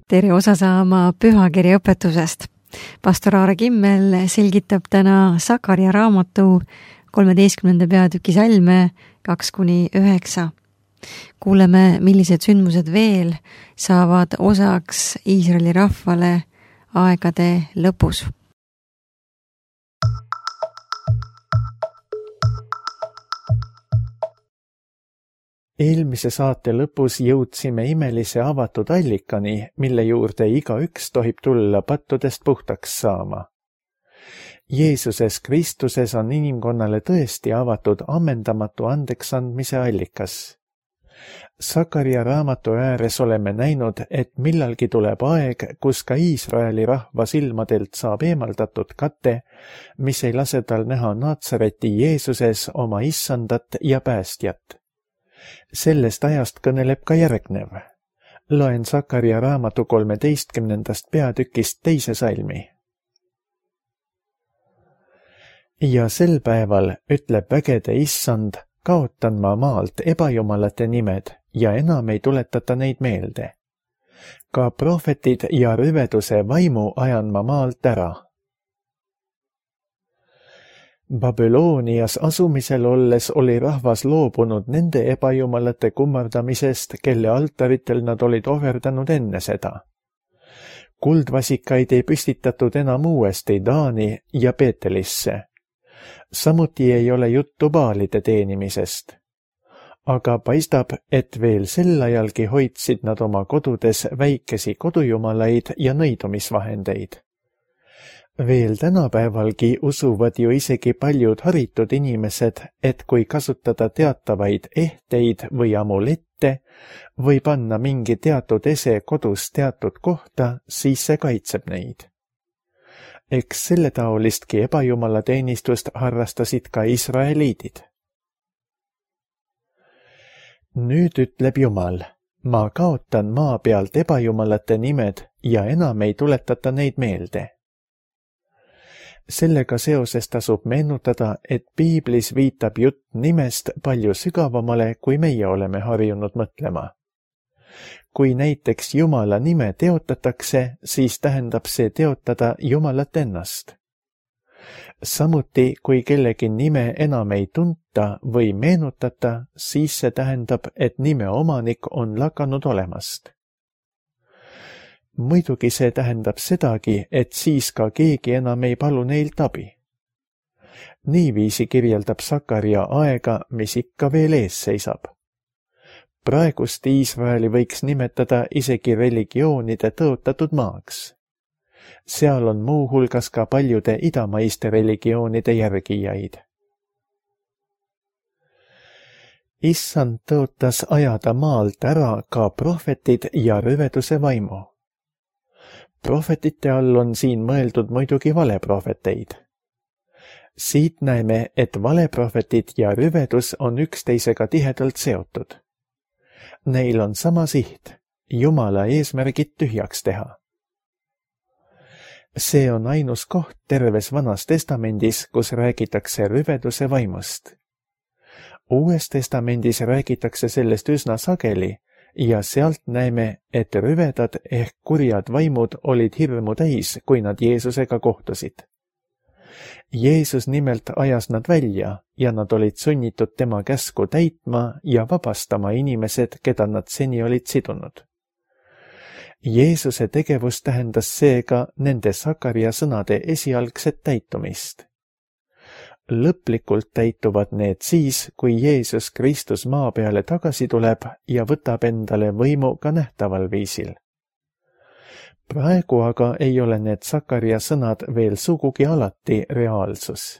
tere osa saama pühakirja õpetusest. Pastor Aare Kimmel selgitab täna Sakaria raamatu 13. peatüki salme 2-9. Kuuleme, millised sündmused veel saavad osaks Iisraeli rahvale aegade lõpus. Eelmise saate lõpus jõudsime imelise avatud allikani, mille juurde igaüks tohib tulla pattudest puhtaks saama. Jeesuses Kristuses on inimkonnale tõesti avatud ammendamatu andeksandmise allikas. Sakaria raamatu ääres oleme näinud, et millalgi tuleb aeg, kus ka Iisraeli rahva silmadelt saab eemaldatud kate, mis ei lase tal näha Naatsareti Jeesuses oma issandat ja päästjat. Sellest ajast kõneleb ka järgnev. Loen Sakaria raamatu 13. peatükist 2. salmi. Ja sel päeval, ütleb vägede issand, kaotan ma maalt ebajumalate nimed ja enam ei tuletata neid meelde. Ka prohvetid ja rüveduse vaimu ajan ma maalt ära. Babylonias asumisel olles oli rahvas loobunud nende ebajumalate kummardamisest, kelle altaritel nad olid ohverdanud enne seda. Kuldvasikaid ei püstitatud enam uuesti Daani ja Beetelisse. Samuti ei ole juttu baalide teenimisest. Aga paistab, et veel sel ajalgi hoidsid nad oma kodudes väikesi kodujumalaid ja nõidumisvahendeid. Veel tänapäevalgi usuvad ju isegi paljud haritud inimesed, et kui kasutada teatavaid ehteid või amulette või panna mingi teatud ese kodus teatud kohta, siis see kaitseb neid. Eks selle taolistki ebajumalateenistust harrastasid ka israeliidid. Nüüd ütleb Jumal, ma kaotan maa pealt ebajumalate nimed ja enam ei tuletata neid meelde. Sellega seoses tasub meenutada, et piiblis viitab jutt nimest palju sügavamale, kui meie oleme harjunud mõtlema. Kui näiteks Jumala nime teotatakse, siis tähendab see teotada Jumalat ennast. Samuti, kui kellegi nime enam ei tunta või meenutata, siis see tähendab, et nime omanik on lakanud olemast. Muidugi see tähendab sedagi, et siis ka keegi enam ei palu neilt abi. Niiviisi kirjeldab Sakaria aega, mis ikka veel ees seisab. Praegust Iisraeli võiks nimetada isegi religioonide tõotatud maaks. Seal on muu hulgas ka paljude idamaiste religioonide järgijaid. Issand tõotas ajada maalt ära ka prohvetid ja rüveduse vaimu. Prohvetite all on siin mõeldud muidugi valeprohveteid. Siit näeme, et valeprohvetid ja rüvedus on üksteisega tihedalt seotud. Neil on sama siht, Jumala eesmärgid tühjaks teha. See on ainus koht terves Vanas Testamendis, kus räägitakse rüveduse vaimust. Uues Testamendis räägitakse sellest üsna sageli, ja sealt näeme, et rüvedad ehk kurjad vaimud olid hirmu täis, kui nad Jeesusega kohtusid. Jeesus nimelt ajas nad välja ja nad olid sunnitud tema käsku täitma ja vabastama inimesed, keda nad seni olid sidunud. Jeesuse tegevus tähendas seega nende Sakaria sõnade esialgset täitumist. Lõplikult täituvad need siis, kui Jeesus Kristus maa peale tagasi tuleb ja võtab endale võimu ka nähtaval viisil. Praegu aga ei ole need Sakaria sõnad veel sugugi alati reaalsus.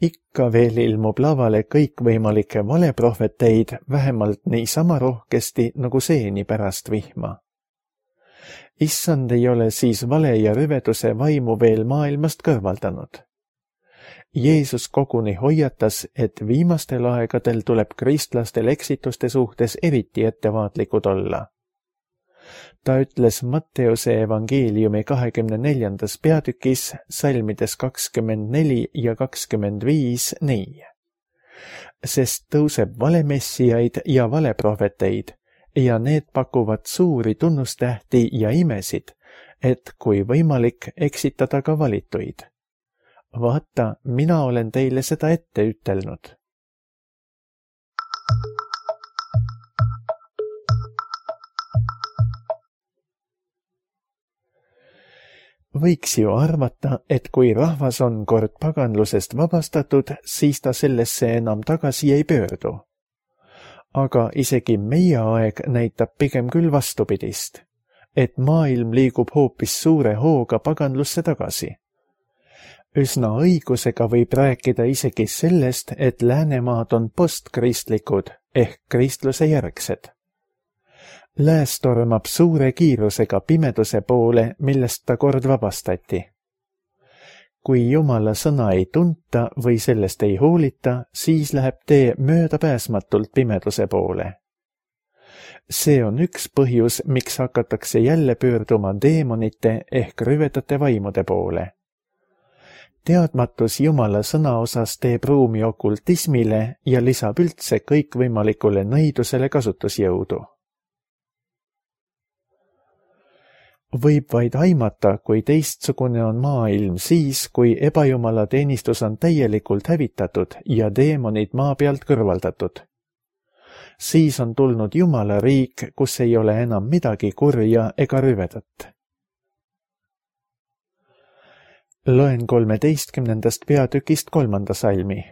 Ikka veel ilmub lavale kõikvõimalikke valeprohveteid vähemalt niisama rohkesti nagu seeni pärast vihma. Issand ei ole siis vale ja rüveduse vaimu veel maailmast kõrvaldanud. Jeesus koguni hoiatas, et viimastel aegadel tuleb kristlastel eksituste suhtes eriti ettevaatlikud olla. Ta ütles Matteuse evangeeliumi 24. peatükis salmides 24 ja 25 nii. Sest tõuseb valemessijaid ja valeprohveteid ja need pakuvad suuri tunnustähti ja imesid, et kui võimalik, eksitada ka valituid. Vaata, mina olen teile seda ette ütelnud. Võiks ju arvata, et kui rahvas on kord paganlusest vabastatud, siis ta sellesse enam tagasi ei pöördu. Aga isegi meie aeg näitab pigem küll vastupidist, et maailm liigub hoopis suure hooga paganlusse tagasi. Üsna õigusega võib rääkida isegi sellest, et läänemaad on postkristlikud ehk kristluse järgsed. Lääs tormab suure kiirusega pimeduse poole, millest ta kord vabastati. Kui Jumala sõna ei tunta või sellest ei hoolita, siis läheb tee möödapääsmatult pimeduse poole. See on üks põhjus, miks hakatakse jälle pöörduma deemonite ehk rüvedate vaimude poole. Teadmatus Jumala sõna osas teeb ruumi okultismile ja lisab üldse kõikvõimalikule nõidusele kasutusjõudu. Võib vaid aimata, kui teistsugune on maailm siis, kui ebajumala teenistus on täielikult hävitatud ja deemonid maa pealt kõrvaldatud. Siis on tulnud Jumala riik, kus ei ole enam midagi kurja ega rüvedat. Loen 13. peatükist 3. salmi.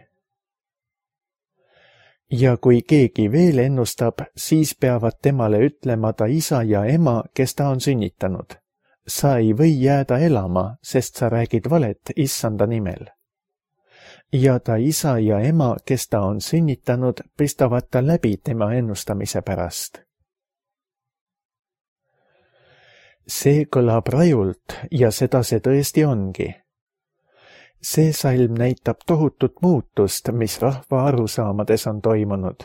Ja kui keegi veel ennustab, siis peavad temale ütlema ta isa ja ema, kes ta on sünnitanud. Sa ei või jääda elama, sest sa räägid valet issanda nimel. Ja ta isa ja ema, kes ta on sünnitanud, pistavad ta läbi tema ennustamise pärast. See kõlab rajult ja seda see tõesti ongi. See salm näitab tohutut muutust, mis rahva arusaamades on toimunud.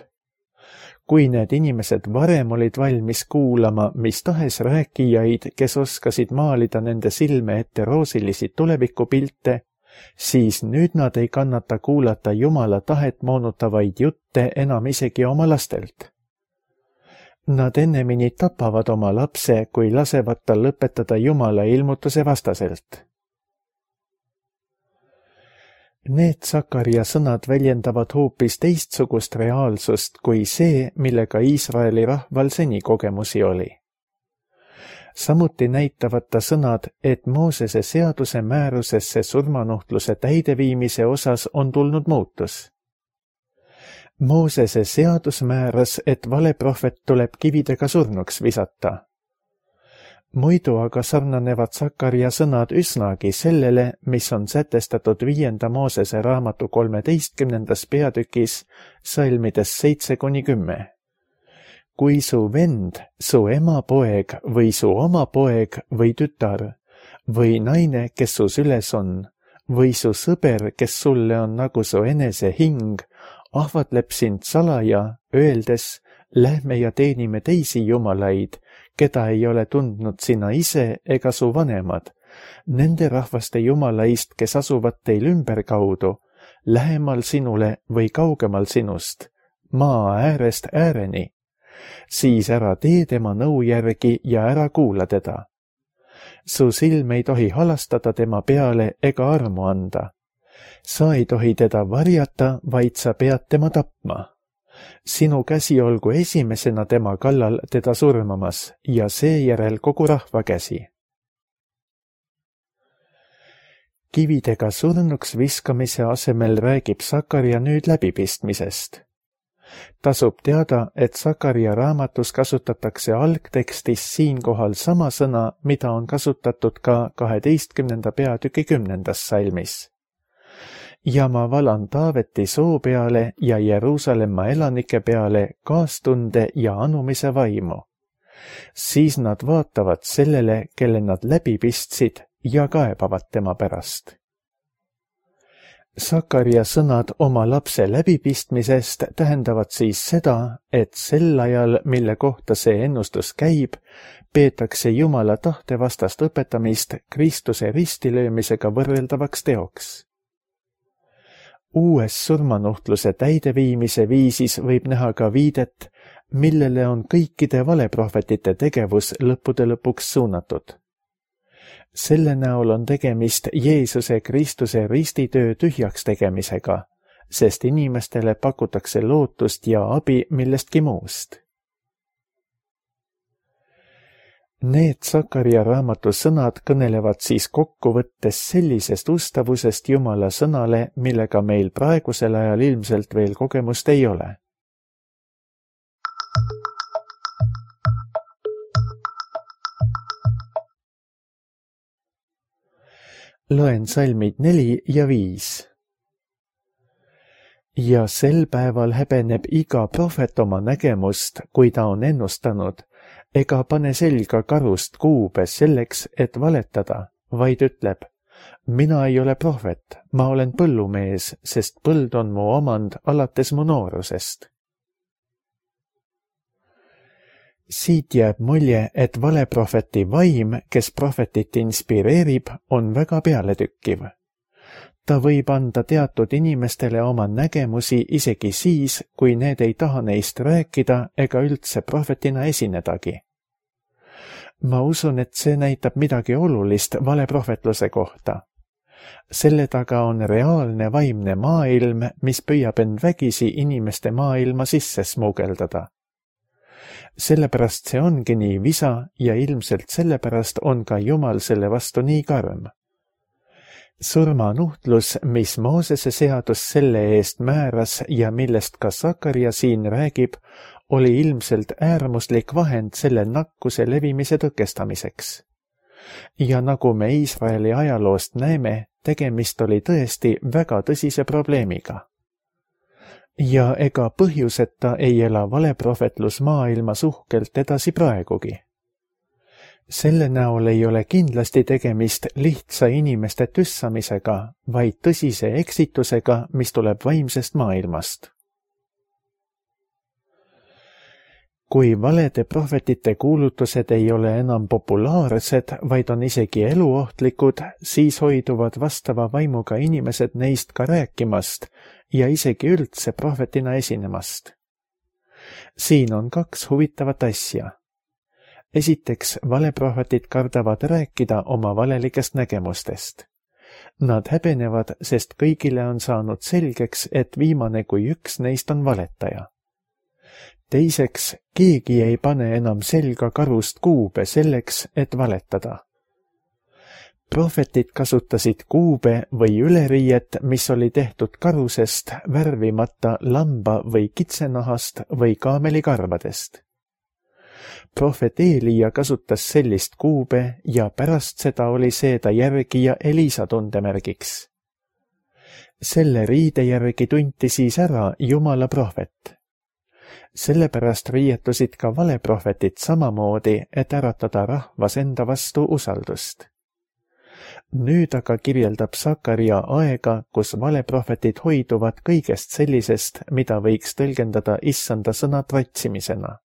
Kui need inimesed varem olid valmis kuulama mis tahes rääkijaid, kes oskasid maalida nende silme ette roosilisi tulevikupilte, siis nüüd nad ei kannata kuulata Jumala tahet moonutavaid jutte enam isegi oma lastelt. Nad ennemini tapavad oma lapse, kui lasevad tal lõpetada Jumala ilmutuse vastaselt. Need Sakaria sõnad väljendavad hoopis teistsugust reaalsust kui see, millega Iisraeli rahval seni kogemusi oli. Samuti näitavad ta sõnad, et Moosese seaduse määrusesse surmanuhtluse täideviimise osas on tulnud muutus. Moosese seadus määras, et valeprohvet tuleb kividega surnuks visata. Muidu aga sarnanevad Sakaria sõnad üsnagi sellele, mis on sätestatud 5. Moosese raamatu 13. peatükis salmides 7-10. Kui su vend, su ema poeg või su oma poeg või tütar või naine, kes su süles on, või su sõber, kes sulle on nagu su enese hing, ahvatleb sind salaja, öeldes, lähme ja teenime teisi jumalaid, keda ei ole tundnud sina ise ega su vanemad, nende rahvaste jumalaist, kes asuvad teil ümberkaudu, lähemal sinule või kaugemal sinust, maa äärest ääreni, siis ära tee tema nõu järgi ja ära kuula teda. Su silm ei tohi halastada tema peale ega armu anda. Sa ei tohi teda varjata, vaid sa pead tema tapma. Sinu käsi olgu esimesena tema kallal teda surmamas ja seejärel kogu rahva käsi. Kividega surnuks viskamise asemel räägib Sakaria nüüd läbipistmisest. Tasub teada, et Sakaria raamatus kasutatakse algtekstis siinkohal sama sõna, mida on kasutatud ka 12. peatüki 10. salmis. Ja ma valan Taaveti soo peale ja Jeruusalemma elanike peale kaastunde ja anumise vaimu. Siis nad vaatavad sellele, kelle nad läbi pistsid ja kaebavad tema pärast. Sakaria sõnad oma lapse läbipistmisest tähendavad siis seda, et sel ajal, mille kohta see ennustus käib, peetakse Jumala tahte vastast õpetamist Kristuse ristilöömisega võrreldavaks teoks. Uues surmanuhtluse täideviimise viisis võib näha ka viidet millele on kõikide valeprohvetite tegevus lõppude lõpuks suunatud. Selle näol on tegemist Jeesuse Kristuse ristitöö tühjaks tegemisega, sest inimestele pakutakse lootust ja abi millestki muust. Need Sakaria raamatu sõnad kõnelevad siis kokkuvõttes sellisest ustavusest Jumala sõnale, millega meil praegusel ajal ilmselt veel kogemust ei ole. Loen salmid 4 ja 5. Ja sel päeval häbeneb iga prohvet oma nägemust, kui ta on ennustanud, ega pane selga karust kuube selleks, et valetada, vaid ütleb, mina ei ole prohvet, ma olen põllumees, sest põld on mu omand alates mu noorusest. Siit jääb mulje, et valeprohveti vaim, kes prohvetit inspireerib, on väga pealetükkiv. Ta võib anda teatud inimestele oma nägemusi isegi siis, kui need ei taha neist rääkida ega üldse prohvetina esinedagi. Ma usun, et see näitab midagi olulist valeprohvetluse kohta. Selle taga on reaalne vaimne maailm, mis püüab end vägisi inimeste maailma sisse smugeldada. Sellepärast see ongi nii visa ja ilmselt sellepärast on ka Jumal selle vastu nii karm. Surmanuhtlus, mis Moosese seadus selle eest määras ja millest ka Sakaria siin räägib, oli ilmselt äärmuslik vahend selle nakkuse levimise tõkestamiseks. Ja nagu me Iisraeli ajaloost näeme, tegemist oli tõesti väga tõsise probleemiga. Ja ega põhjuseta ei ela valeprohvetlus maailmas uhkelt edasi praegugi. Selle näol ei ole kindlasti tegemist lihtsa inimeste tüssamisega, vaid tõsise eksitusega, mis tuleb vaimsest maailmast. Kui valede prohvetite kuulutused ei ole enam populaarsed, vaid on isegi eluohtlikud, siis hoiduvad vastava vaimuga inimesed neist ka rääkimast ja isegi üldse prohvetina esinemast. Siin on 2 huvitavat asja. Esiteks, valeprohvetid kardavad rääkida oma valelikest nägemustest. Nad häbenevad, sest kõigile on saanud selgeks, et viimane kui üks neist on valetaja. Teiseks, keegi ei pane enam selga karust kuube selleks, et valetada. Prohvetid kasutasid kuube või üleriiet, mis oli tehtud karusest, värvimata lamba või kitsenahast või kaamelikarvadest. Prohvet Eelia kasutas sellist kuube ja pärast seda oli see ta järgi ja Elisa tundemärgiks. Selle riide järgi tunti siis ära Jumala prohvet. Sellepärast riietusid ka valeprohvetid samamoodi, et äratada rahvas enda vastu usaldust. Nüüd aga kirjeldab Sakaria aega, kus valeprohvetid hoiduvad kõigest sellisest, mida võiks tõlgendada issanda sõna tratsimisena.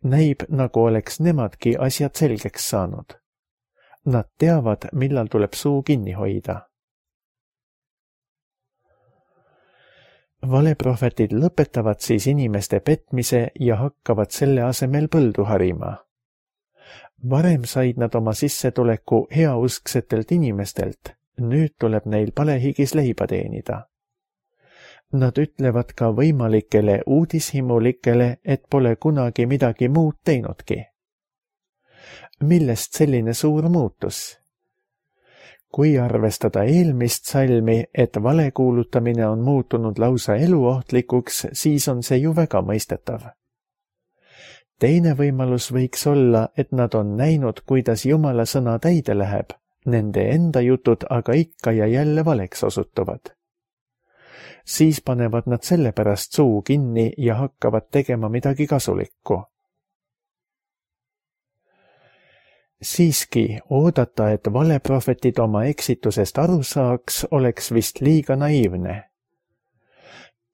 Näib, nagu oleks nemadki asjad selgeks saanud. Nad teavad, millal tuleb suu kinni hoida. Valeprohvetid lõpetavad siis inimeste petmise ja hakkavad selle asemel põldu harima. Varem said nad oma sissetuleku heausksetelt inimestelt, nüüd tuleb neil palehigis leiba teenida. Nad ütlevad ka võimalikele uudishimulikele, et pole kunagi midagi muud teinudki. Millest selline suur muutus? Kui arvestada eelmist salmi, et valekuulutamine on muutunud lausa eluohtlikuks, siis on see ju väga mõistetav. Teine võimalus võiks olla, et nad on näinud, kuidas Jumala sõna täide läheb, nende enda jutud aga ikka ja jälle valeks osutuvad. Siis panevad nad sellepärast suu kinni ja hakkavad tegema midagi kasulikku. Siiski oodata, et valeprohvetid oma eksitusest aru saaks, oleks vist liiga naiivne.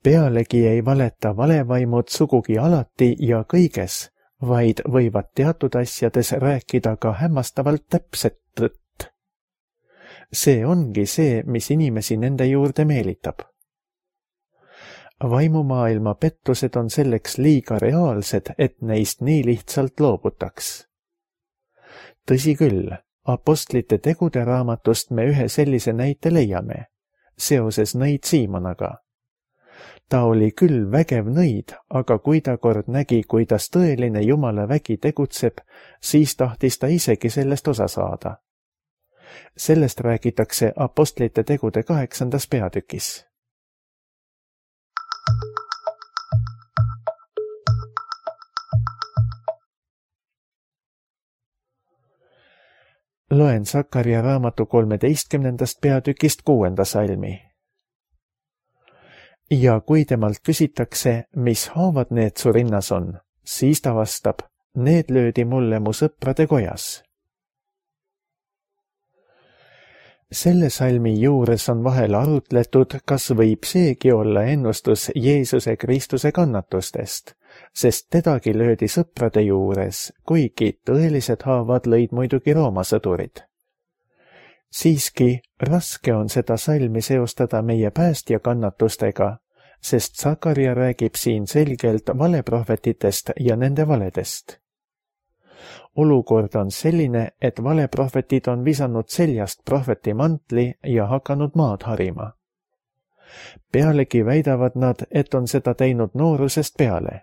Pealegi ei valeta valevaimud sugugi alati ja kõiges, vaid võivad teatud asjades rääkida ka hämmastavalt täpset tõtt. See ongi see, mis inimesi nende juurde meelitab. vaimumaailma pettused on selleks liiga reaalsed, et neist nii lihtsalt loobutaks. Tõsi küll, Apostlite tegude raamatust me ühe sellise näite leiame, seoses nõid Siimonaga. Ta oli küll vägev nõid, aga kui ta kord nägi, kuidas tõeline Jumala vägi tegutseb, siis tahtis ta isegi sellest osa saada. Sellest räägitakse Apostlite tegude 8. peatükis. Loen Sakarja raamatu 13. peatükist 6. salmi. Ja kui temalt küsitakse, mis haavad need su rinnas on, siis ta vastab, need löödi mulle mu sõprade kojas. Selle salmi juures on vahel arutletud, kas võib seegi olla ennustus Jeesuse Kristuse kannatustest, sest tedagi löödi sõprade juures, kuigi tõelised haavad lõid muidugi Rooma sõdurid. Siiski raske on seda salmi seostada meie päästja kannatustega, sest Sakarja räägib siin selgelt valeprohvetitest ja nende valedest. Olukord on selline, et valeprohvetid on visanud seljast prohveti mantli ja hakanud maad harima. Pealegi väidavad nad, et on seda teinud noorusest peale.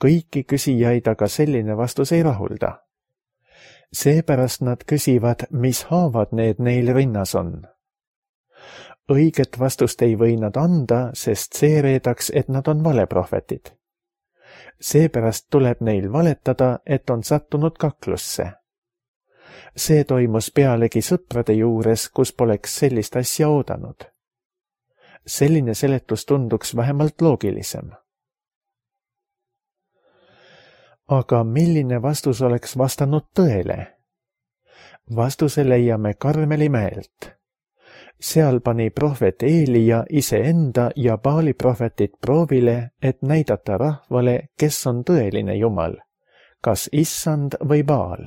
Kõiki küsijaid aga selline vastus ei rahulda. Seepärast nad küsivad, mis haavad need neil rinnas on. Õiget vastust ei või nad anda, sest see reedaks, et nad on valeprohvetid. Seepärast tuleb neil valetada, et on sattunud kaklusse. See toimus pealegi sõprade juures, kus poleks sellist asja oodanud. Selline seletus tunduks vähemalt loogilisem. Aga milline vastus oleks vastanud tõele? Vastuse leiame Karmeli mäelt. Seal pani prohvet Eelia iseenda ja Baali prohvetit proovile, et näidata rahvale, kes on tõeline Jumal, kas Issand või Baal.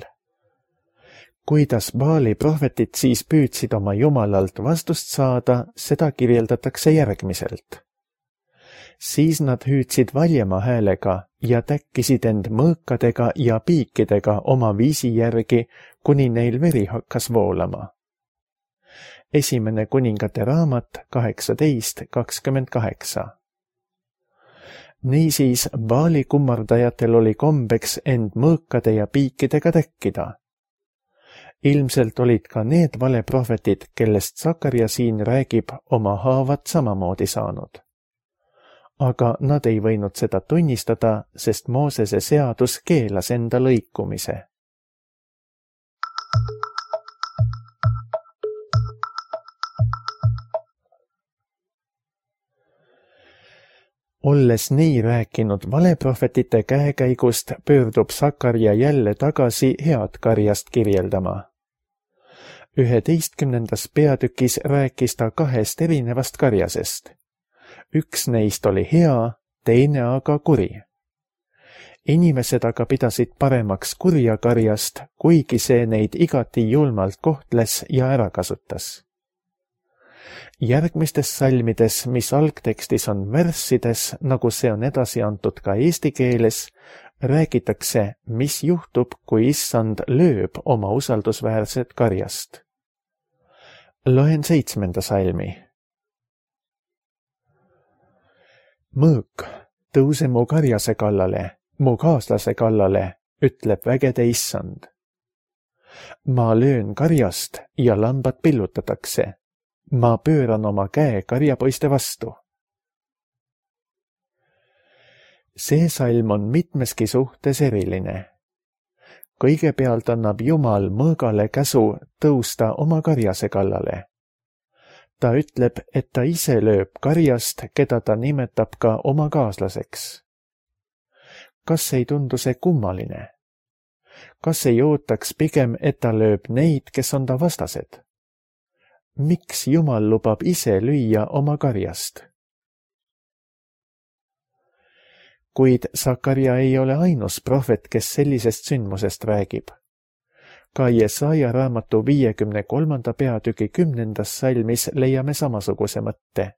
Kuidas Baali prohvetid siis püüdsid oma Jumalalt vastust saada, seda kirjeldatakse järgmiselt. Siis nad hüüdsid valjema häälega ja täkkisid end mõõkadega ja piikidega oma viisi järgi, kuni neil veri hakkas voolama. Esimene kuningate raamat 18:28. Niisiis Baali kummardajatel oli kombeks end mõõkade ja piikidega täkkida. Ilmselt olid ka need valeprohvetid, kellest Sakarja siin räägib, oma haavad samamoodi saanud. Aga nad ei võinud seda tunnistada, sest Moosese seadus keelas enda lõikumise. Olles nii rääkinud valeprohvetite käekäigust, pöördub Sakarja jälle tagasi head karjast kirjeldama. 11. peatükis rääkis ta 2 erinevast karjasest. Üks neist oli hea, teine aga kuri. Inimesed aga pidasid paremaks kurja karjast, kuigi see neid igati julmalt kohtles ja ära kasutas. Järgmistes salmides, mis algtekstis on värssides, nagu see on edasi antud ka eesti keeles, räägitakse, mis juhtub, kui Issand lööb oma usaldusväärset karjast. Loen 7. salmi. Mõõk, tõuse mu karjase kallale, mu kaaslase kallale, ütleb vägede Issand. Ma löön karjast ja lambad pillutatakse. Ma pööran oma käe karjapoiste vastu. See salm on mitmeski suhtes eriline. Kõigepealt annab Jumal mõõgale käsu tõusta oma karjase kallale. Ta ütleb, et ta ise lööb karjast, keda ta nimetab ka oma kaaslaseks. Kas ei tundu see kummaline? Kas ei ootaks pigem, et ta lööb neid, kes on ta vastased? Miks Jumal lubab ise lüüa oma karjast? Kuid Sakarja ei ole ainus prohvet, kes sellisest sündmusest räägib. Ka Jesaja raamatu 53. peatüki 10. salmis leiame samasuguse mõtte.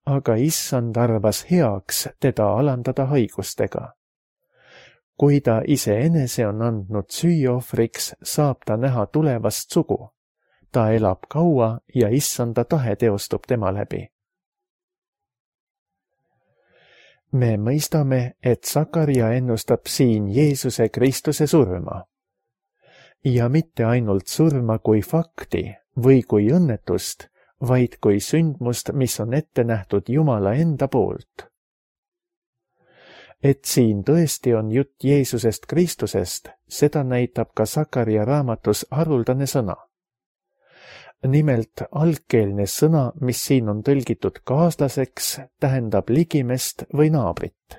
aga issand arvas heaks teda alandada haigustega. Kui ta iseenese on andnud süüohvriks, saab ta näha tulevast sugu. Ta elab kaua ja issanda tahe teostub tema läbi. Me mõistame, et Sakaria ennustab siin Jeesuse Kristuse surma. Ja mitte ainult surma kui fakti või kui õnnetust, vaid kui sündmust, mis on ette nähtud Jumala enda poolt. Et siin tõesti on jutt Jeesusest Kristusest, seda näitab ka Sakaria raamatus haruldane sõna. Nimelt algkeelne sõna, mis siin on tõlgitud kaaslaseks, tähendab ligimest või naabrit.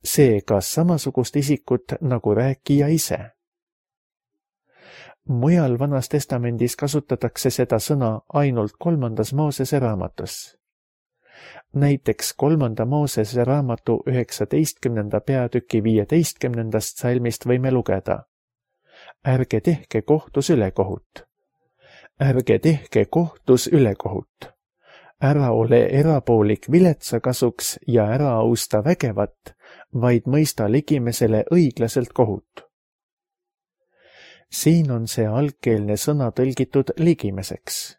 See kas samasugust isikut nagu rääkija ise. Mujal Vanas Testamendis kasutatakse seda sõna ainult 3. Moosese raamatus. Näiteks 3. Moosese raamatu 19. peatüki 15. salmist võime lugeda. Ärge tehke kohtus ülekohut. Ärge tehke kohtus ülekohut. Ära ole erapoolik viletsa kasuks ja ära austa vägevat, vaid mõista ligimesele õiglaselt kohut. Siin on see algkeelne sõna tõlgitud ligimeseks.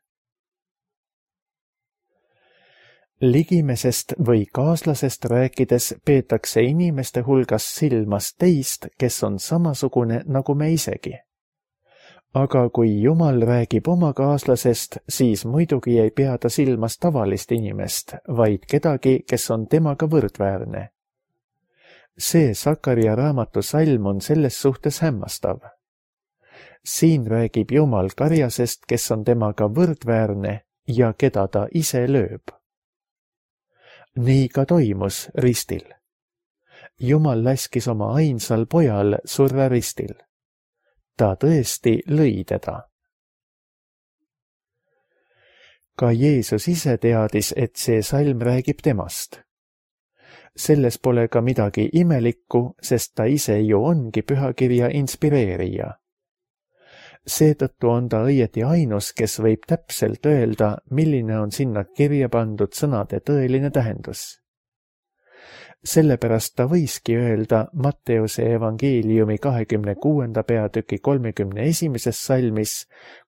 Ligimesest või kaaslasest rääkides peetakse inimeste hulgas silmas teist, kes on samasugune nagu me isegi. Aga kui Jumal räägib oma kaaslasest, siis muidugi ei pea ta silmas tavalist inimest, vaid kedagi, kes on temaga võrdväärne. See Sakaria raamatu salm on selles suhtes hämmastav. Siin räägib Jumal karjasest, kes on temaga võrdväärne ja keda ta ise lööb. Nii ka toimus ristil. Jumal laskis oma ainsal pojal surra ristil. Ta tõesti lõi teda. Ka Jeesus ise teadis, et see salm räägib temast. Selles pole ka midagi imelikku, sest ta ise ju ongi pühakirja inspireerija. Seetõttu on ta õieti ainus, kes võib täpselt öelda, milline on sinna kirja pandud sõnade tõeline tähendus. Sellepärast ta võiski öelda Matteuse evangeeliumi 26. peatüki 31. salmis,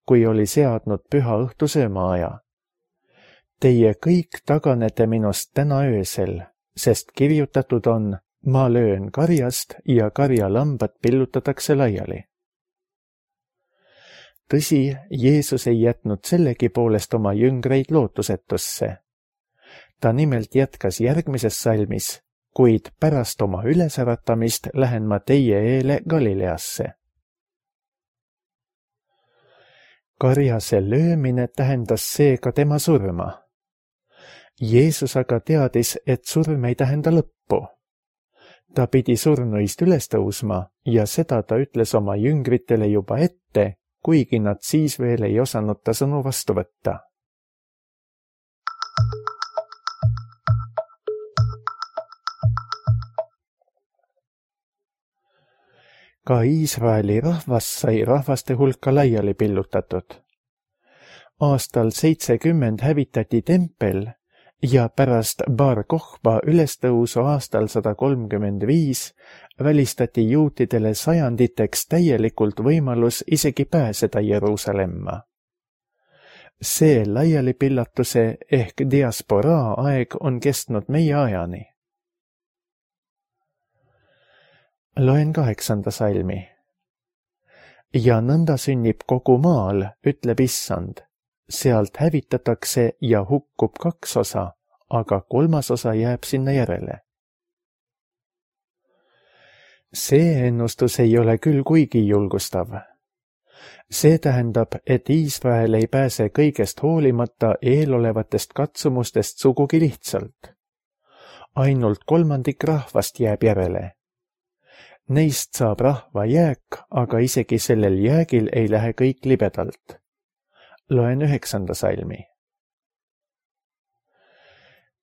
kui oli seadnud püha õhtu söömaaja. Teie kõik taganete minust täna öösel, sest kirjutatud on, ma löön karjast ja karjalambad pillutatakse laiali. Tõsi, Jeesus ei jätnud sellegipoolest oma jüngreid lootusetusse. Ta nimelt jätkas järgmises salmis, kuid pärast oma ülesäratamist lähen ma teie eele Galileasse. Karjase löömine tähendas seega tema surma. Jeesus aga teadis, et surm ei tähenda lõppu. Ta pidi surnuist üles tõusma ja seda ta ütles oma jüngritele juba ette, kuigi nad siis veel ei osanud ta sõnu vastu võtta. Ka Iisraeli rahvas sai rahvaste hulka laiali pillutatud. Aastal 70 hävitati tempel ja pärast Bar Kokhba ülestõusu aastal 135 välistati juutidele sajanditeks täielikult võimalus isegi pääseda Jeruusalemma. See laialipillatuse ehk diasporaa aeg on kestnud meie ajani. Loen 8. salmi. Ja nõnda sünnib kogu maal, ütleb issand. Sealt hävitatakse ja hukkub 2 osa, aga 3. osa jääb sinna järele. See ennustus ei ole küll kuigi julgustav. See tähendab, et Iisrael ei pääse kõigest hoolimata eelolevatest katsumustest sugugi lihtsalt. Ainult 1/3 rahvast jääb järele. Neist saab rahva jääk, aga isegi sellel jäägil ei lähe kõik libedalt. Loen 9. salmi.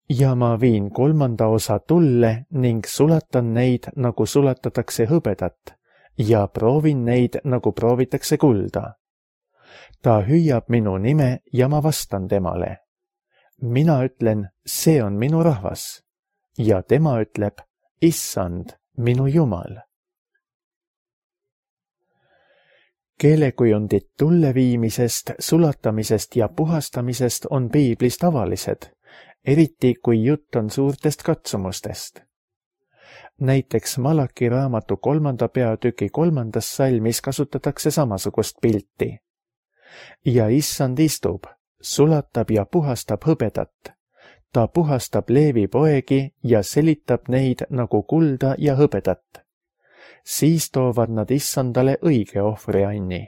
Ja ma viin 3. osa tulle ning sulatan neid, nagu sulatatakse hõbedat, ja proovin neid, nagu proovitakse kulda. Ta hüüab minu nime ja ma vastan temale. mina ütlen, see on minu rahvas ja tema ütleb, issand, minu Jumal. Keelekujundid tulleviimisest, sulatamisest ja puhastamisest on piiblis tavalised, eriti kui jutt on suurtest katsumustest. Näiteks Malaki raamatu 3. peatüki 3. salmis kasutatakse samasugust pilti. Ja issand istub, sulatab ja puhastab hõbedat. Ta puhastab Leevi poegi ja selitab neid nagu kulda ja hõbedat. Siis toovad nad issandale õige ohvrianni.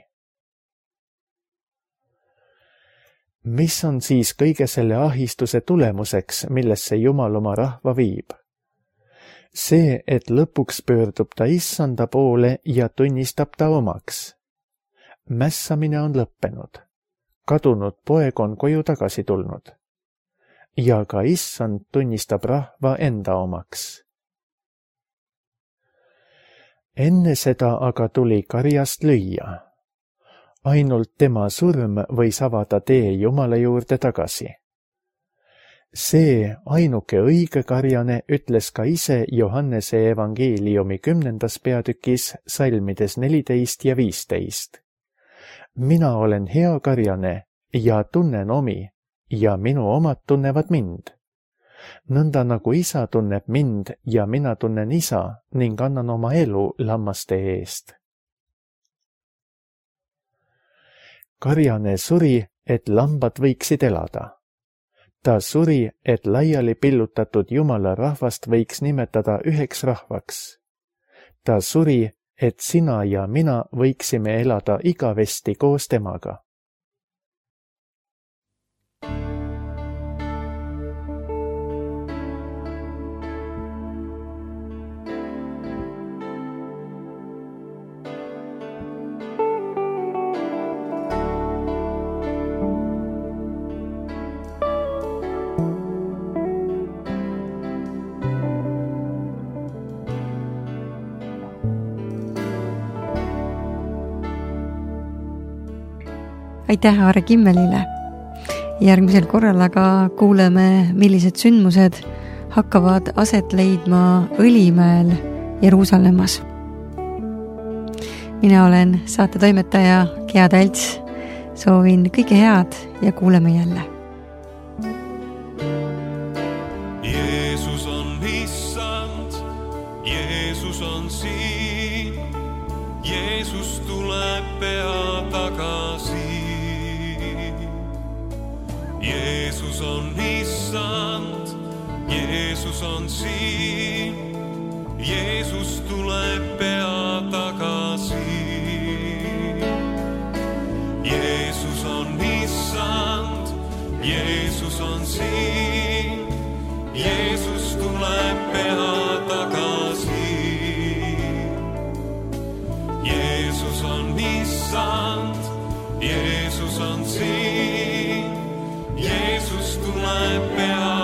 Mis on siis kõige selle ahistuse tulemuseks, millesse Jumal oma rahva viib? See, et lõpuks pöördub ta issanda poole ja tunnistab ta omaks. Mässamine on lõppenud. Kadunud poeg on koju tagasi tulnud. Ja ka issand tunnistab rahva enda omaks. Enne seda aga tuli karjast lüüa. Ainult tema surm võis avada tee Jumala juurde tagasi. See ainuke õige karjane ütles ka ise Johannese evangeeliumi 10. peatükis salmides 14 ja 15. Mina olen hea karjane ja tunnen omi ja minu omad tunnevad mind. Nõnda nagu isa tunneb mind ja mina tunnen isa ning annan oma elu lammaste eest. Karjane suri, et lambad võiksid elada. Ta suri, et laiali pillutatud Jumala rahvast võiks nimetada üheks rahvaks. Ta suri, et sina ja mina võiksime elada igavesti koos temaga. Aitäh Aare Kimmelile. Järgmisel korral aga kuuleme, millised sündmused hakkavad aset leidma Õlimäel Jeruusalemmas. Mina olen saate toimetaja Gea Talts. Soovin kõike head ja kuuleme jälle. Jeesus on issand, Jeesus on siin, Jeesus tuleb pea tagasi. Jeesus on issand, Jeesus on siin, Jeesus tuleb pea tagasi. Jeesus on issand, Jeesus on siin, Jeesus tuleb pea tagasi. Jeesus on issand, Jeesus on siin, Jeesus tuleb pea